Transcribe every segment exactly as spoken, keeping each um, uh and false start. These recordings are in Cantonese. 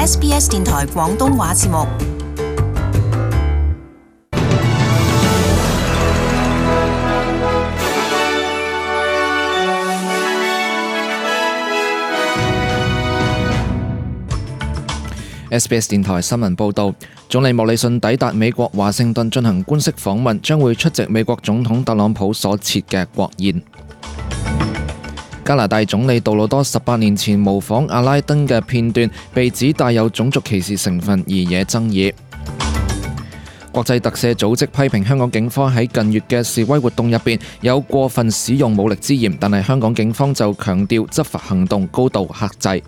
S B S 電台廣東話節目。S B S 電台新聞報導，總理莫里遜抵達美國華盛頓進行官式訪問，將會出席美國總統特朗普所設嘅國宴。加拿大總理杜魯多十八年前模仿阿拉丁嘅片段被指帶有種族歧視成分而惹爭議。國際特赦組織批評香港警方喺近月嘅示威活動入邊有過分使用武力之嫌，但係香港警方就強調執法行動高度克制。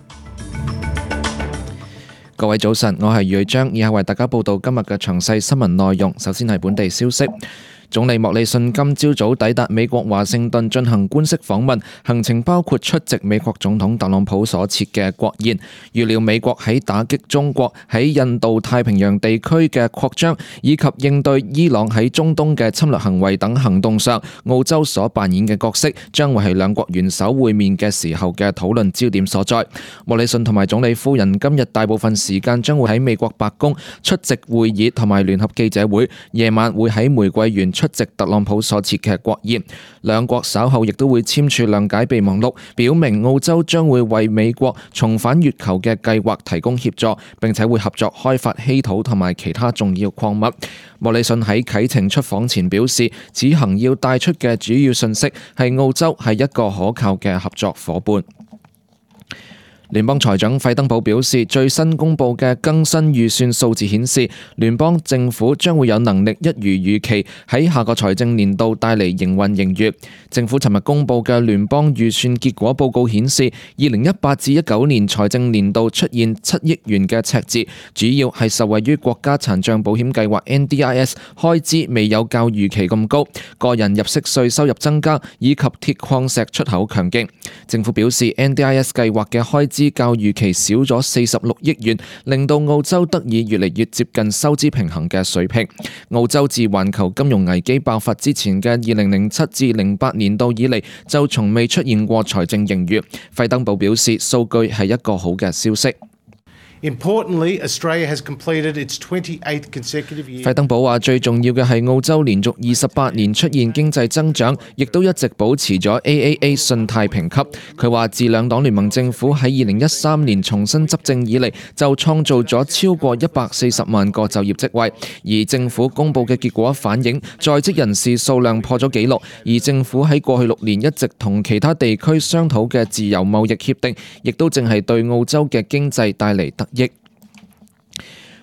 各位早晨，我係余章，以下為大家報道今日嘅詳細新聞內容。首先係本地消息。總理莫里遜今朝早抵達美國華盛頓進行官式訪問，行程包括出席美國總統特朗普所設嘅國宴。預料美國喺打擊中國喺印度太平洋地區嘅擴張，以及應對伊朗喺中東嘅侵略行為等行動上，澳洲所扮演嘅角色將會係兩國元首會面嘅時候嘅討論焦點所在。莫里遜同埋總理夫人今日大部分時間將會喺美國白宮出席會議同埋聯合記者會，夜晚會喺玫瑰園出席特朗普所設嘅國宴。兩國稍後亦都會簽署諒解備忘錄，表明澳洲將會為美國重返月球嘅計劃提供協助，並且會合作開發稀土同埋其他重要礦物。莫里遜喺啟程出訪前表示，此行要帶出嘅主要信息係澳洲係一個可靠嘅合作夥伴。聯邦財長費登堡表示，最新公布嘅更新預算數字顯示，聯邦政府將會有能力一如預期喺下個財政年度帶嚟營運盈餘。政府尋日公布嘅聯邦預算結果報告顯示，二零一八至一九年財政年度出現七億元嘅赤字，主要係受惠於國家殘障保險計劃 N D I S 開支未有較預期咁高，個人入息稅收入增加，以及鐵礦石出口強勁。政府表示 N D I S 計劃嘅開支較預期少咗四十六億元，令到澳洲得以越嚟越接近收支平衡嘅水平。澳洲自環球金融危機爆發之前嘅二零零七至零八年度以嚟，就從未出現過財政盈餘。費登堡表示，數據係一個好嘅消息。Importantly, Australia has completed its twenty-eighth consecutive year. 費登堡話：最重要嘅係澳洲連續二十八年出現經濟增長，亦都一直保持咗 A A A 信貸評級。佢話：自兩黨聯盟政府喺二零一三年重新執政以嚟，就創造咗超過一百四十萬個就業職位。而政府公佈嘅結果反映，在職人士數量破咗紀錄。而政府喺過去六年一直同其他地區商討嘅自由貿易協定，亦都正係對澳洲嘅經濟帶嚟得益。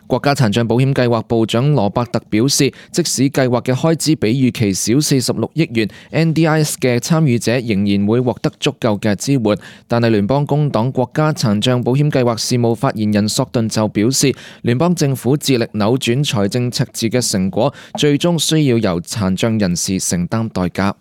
國家殘障保險計劃部長羅伯特表示，即使計劃嘅開支比預期少四十六億元 ，N D I S 嘅參與者仍然會獲得足夠嘅支援。但係聯邦工黨國家殘障保險計劃事務發言人索頓就表示，聯邦政府致力扭轉財政赤字嘅成果，最終需要由殘障人士承擔代價。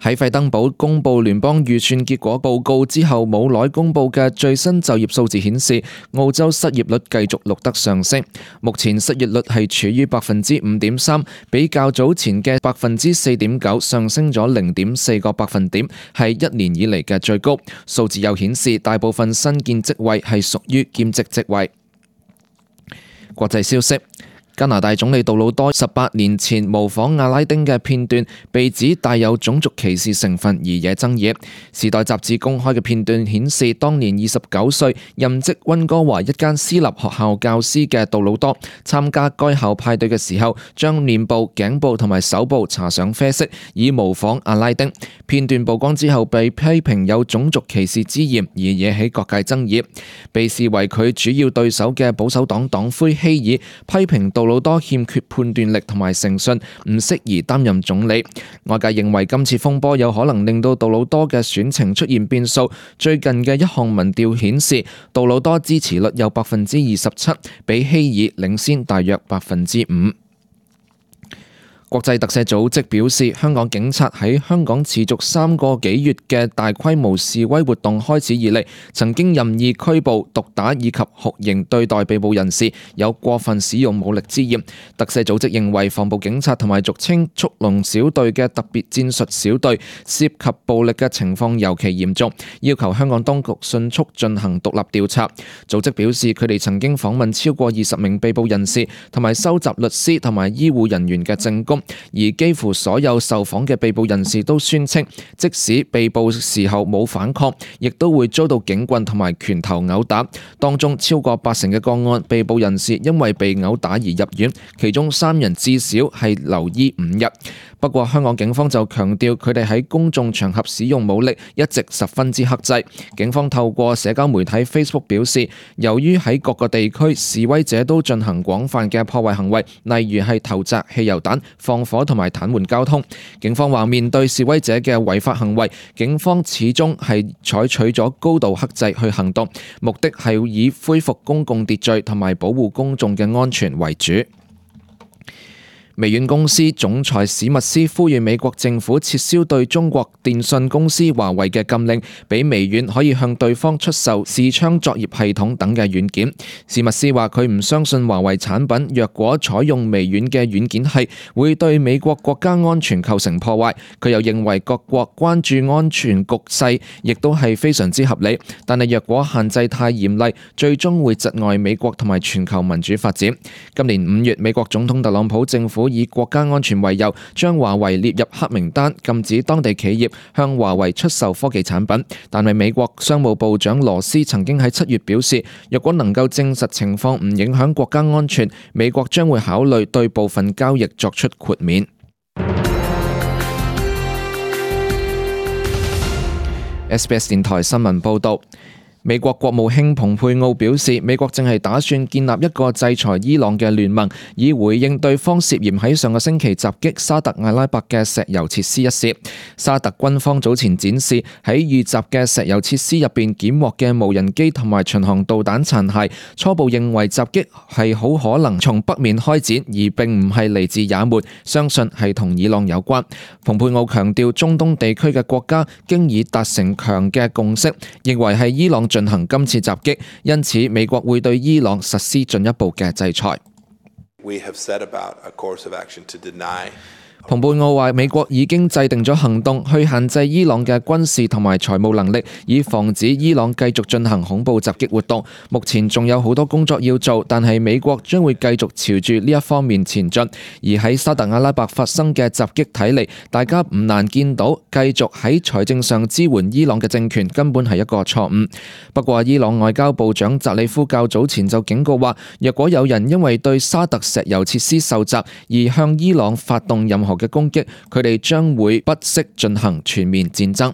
喺費登堡公布聯邦預算結果報告之後，冇耐公布嘅最新就業數字顯示，澳洲失業率繼續錄得上升。目前失業率係處於百分之五點三，比較早前嘅百分之四點九上升咗零點四個百分點，係一年以嚟嘅最高。數字又顯示，大部分新建職位係屬於兼職職位。國際消息。加拿大總理杜魯多十八年前模仿阿拉丁嘅片段被指帶有種族歧視成分而惹爭議。時代雜誌公開嘅片段顯示，當年二十九歲任職溫哥華一間私立學校教師嘅杜魯多參加該校派對嘅時候，將面部、頸部同埋手部搽上啡色，以模仿阿拉丁。片段曝光之後被批評有種族歧視之嫌，而惹起各界爭議。被視為佢主要對手嘅保守黨黨魁希爾批評杜魯多欠缺判斷力同埋誠信，唔適宜擔任總理。外界認為今次風波有可能令到杜魯多嘅選情出現變數。最近嘅一項民調顯示，杜魯多支持率有百分之二十七，比希爾領先大約百分之五。國際特赦組織表示，香港警察喺香港持續三個幾月嘅大規模示威活動開始以嚟，曾經任意拘捕、毒打以及酷刑對待被捕人士，有過分使用武力之嫌。特赦組織認為，防暴警察同埋俗稱速龍小隊嘅特別戰術小隊涉及暴力嘅情況尤其嚴重，要求香港當局迅速進行獨立調查。組織表示，佢哋曾經訪問超過二十名被捕人士，同埋收集律師同埋醫護人員嘅證供。而幾乎所有受訪嘅被捕人士都宣稱，即使被捕時候冇反抗，亦都會遭到警棍同埋拳頭毆打。當中超過八成嘅個案，被捕人士因為被毆打而入院，其中三人至少係留醫五日。不過香港警方就強調，佢哋喺公眾場合使用武力一直十分之克制。警方透過社交媒體 Facebook 表示，由於喺各個地區示威者都進行廣泛嘅破壞行為，例如係投擲汽油彈、放火同埋癱瘓交通。警方話，面對示威者嘅違法行為，警方始終係採取咗高度克制去行動，目的係以恢復公共秩序同埋保護公眾嘅安全為主。微軟公司總裁史密斯呼籲美國政府撤銷對中國電信公司華為嘅禁令，俾微軟可以向對方出售視窗作業系統等嘅軟件。史密斯話佢唔相信華為產品若果採用微軟嘅軟件係會對美國國家安全構成破壞。佢又認為各國關注安全局勢亦都係非常之合理，但係若果限制太嚴厲，最終會窒礙美國同埋全球民主發展。今年五月，美國總統特朗普政府以國家安全為由，將華為列入黑名單，禁止當地企業向華為出售科技產品。但係美國商務部長羅斯曾經喺七月表示，若果能夠證實情況唔影響國家安全，美國將會考慮對部分交易作出豁免。S B S 電台新聞報道。美國國務卿蓬佩奧表示，美國正係打算建立一個制裁伊朗嘅聯盟，以回應對方涉嫌喺上個星期襲擊沙特阿拉伯嘅石油設施一事。沙特軍方早前展示喺遇襲嘅石油設施入邊檢獲嘅無人機同埋巡航導彈殘骸，初步認為襲擊係好可能從北面開展，而並唔係嚟自也門，相信係同伊朗有關。蓬佩奧強調，中東地區嘅國家經已達成強嘅共識，認為係伊朗進行今次襲擊，因此美國會對伊朗實施進一步嘅制裁。We have set about a course of action to deny蓬佩奧話，美國已經制定咗行動去限制伊朗嘅軍事同埋財務能力，以防止伊朗繼續進行恐怖襲擊活動。目前仲有好多工作要做，但係美國將會繼續朝住呢一方面前進。而喺沙特阿拉伯發生嘅襲擊睇嚟，大家唔難見到繼續喺財政上支援伊朗嘅政權根本係一個錯誤。不過伊朗外交部長扎里夫較早前就警告話，若果有人因為對沙特石油設施受襲而向伊朗發動任何嘅攻擊，佢哋將會不惜進行全面戰爭。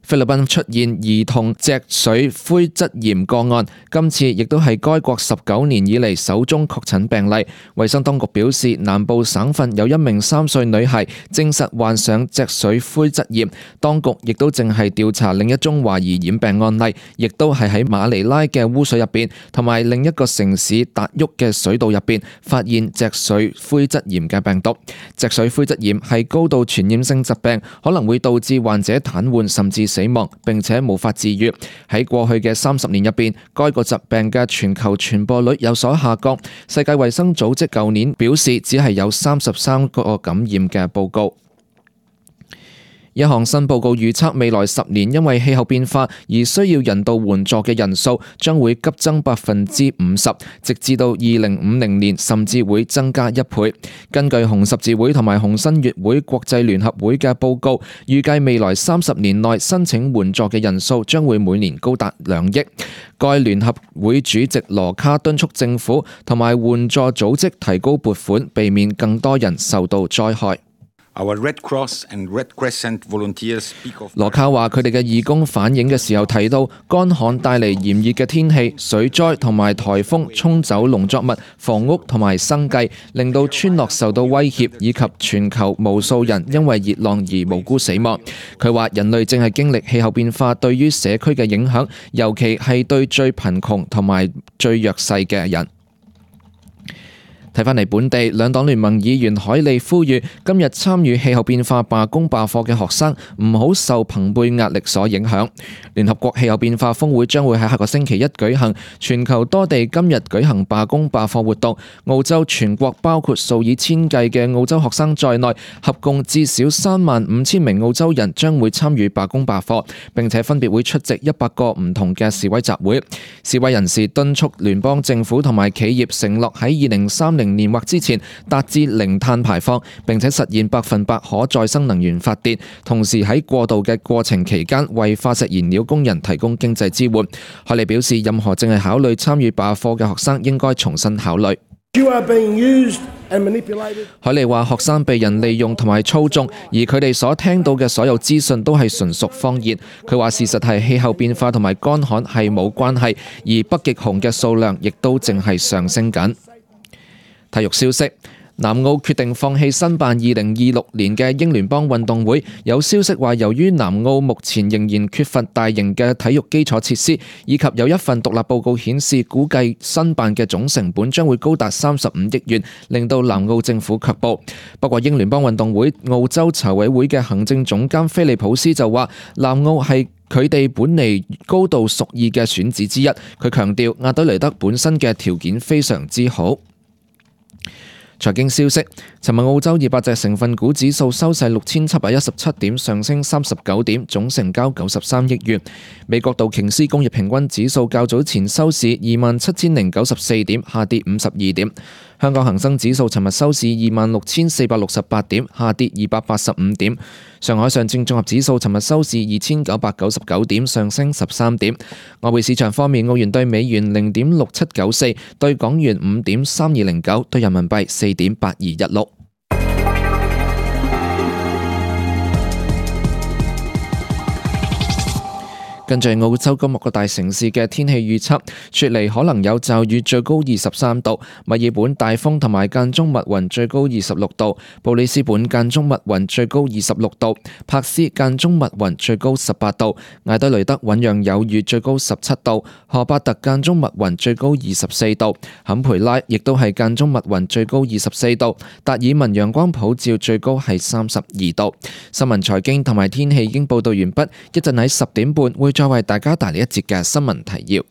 菲律賓出現兒童脊髓灰質炎個案，今次亦都係該國十九年以嚟首宗確診病例。衛生當局表示，南部省份有一名三歲女孩證實患上脊髓灰質炎，當局亦都正係調查另一宗懷疑染病案例，亦都係喺馬尼拉嘅污水入邊，同埋另一個城市達沃嘅水道入邊發現脊髓灰質炎嘅病毒。脊髓灰質炎係高度傳染性疾病，可能會導致患者癱瘓甚至死亡，並且無法治癒。喺過去嘅三十年入邊，該個疾病嘅全球傳播率有所下降。世界衛生組織舊年表示，只係有三十三個感染嘅報告。一項新報告預測，未來十年因為氣候變化而需要人道援助嘅人數將會急增百分之五十，直至到二零五零年，甚至會增加一倍。根據紅十字會同埋紅新月會國際聯合會嘅報告，預計未來三十年內申請援助嘅人數將會每年高達兩億。該聯合會主席羅卡敦促政府同埋援助組織提高撥款，避免更多人受到災害。羅卡話：佢哋嘅義工反映嘅時候提到，乾旱帶嚟炎熱嘅天氣、水災同埋颱風沖走農作物、房屋同埋生計，令到村落受到威脅，以及全球無數人因為熱浪而無辜死亡。佢話：人類正係經歷氣候變化對於社區嘅影響，尤其係對最貧窮同埋最弱勢嘅人。睇返嚟本地，兩黨聯盟議員海利呼籲今日參與氣候變化罷工罷課嘅學生唔好受朋輩壓力所影響。聯合國氣候變化峰會將會喺下個星期一舉行，全球多地今日舉行罷工罷課活動。澳洲全國包括數以千計嘅澳洲學生在內，合共至少三萬五千名澳洲人將會參與罷工罷課，並且分別會出席一百個唔同嘅示威集會。示威人士敦促聯邦政府同埋企業承諾喺二零三零年或之前達至零碳排放，並且實現百分百可再生能源發電，同時喺過渡嘅過程期間為化石燃料工人提供經濟支援。海利表示，任何正係考慮參與罷課嘅學生應該重新考慮。海利話：學生被人利用同埋操縱，而佢哋所聽到嘅所有資訊都係純屬謊言。佢話事實係氣候變化同埋乾旱係冇關係，而北極熊嘅數量亦都淨係上升緊。體育消息。南澳決定放棄申辦二零二六年嘅英聯邦運動會，有消息話由於南澳目前仍然缺乏大型嘅體育基礎設施，以及有一份獨立報告顯示估計申辦嘅總成本將會高達三十五億元，令到南澳政府卻步。不過英聯邦運動會澳洲籌委會嘅行政總監菲利普斯就話，南澳係佢哋本嚟高度屬意嘅選址之一。佢強調亞德雷德本身嘅條件非常之好。財經消息，尋日澳洲二百隻成分股指數收市六千七百一十七點，上升三十九點，總成交九十三億元。美國道瓊斯工業平均指數較早前收市二萬七千零九十四點，下跌五十二點。香港恒生指數尋日收市二萬六千四百六十八點，下跌二百八十五點。上海上證綜合指數尋日收市二千九百九十九點，上升十三點。外匯市場方面，澳元對美元零點六七九四，對港元五點三二零九，對人民幣四點八二一六。跟住澳洲今日各大城市嘅天氣預測，雪梨可能有驟雨，最高二十三度；墨爾本大風同埋間中密雲，最高二十六度；布里斯本間中密雲，最高二十六度；柏斯間中密雲，最高十八度；艾德雷德醞釀有雨，最高十七度；荷伯特間中密雲，最高二十四度；坎培拉亦都係間中密雲，最高二十四度；達爾文陽光普照，最高係三十二度。新聞財經同埋天氣已經報道完畢，一陣喺十點半會再為大家帶嚟一節嘅新聞提要。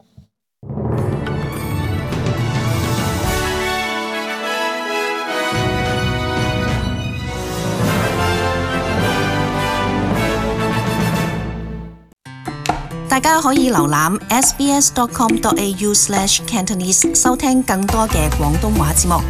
大家可以瀏覽 s b s dot com dot a u slash cantonese 收聽更多嘅廣東話節目。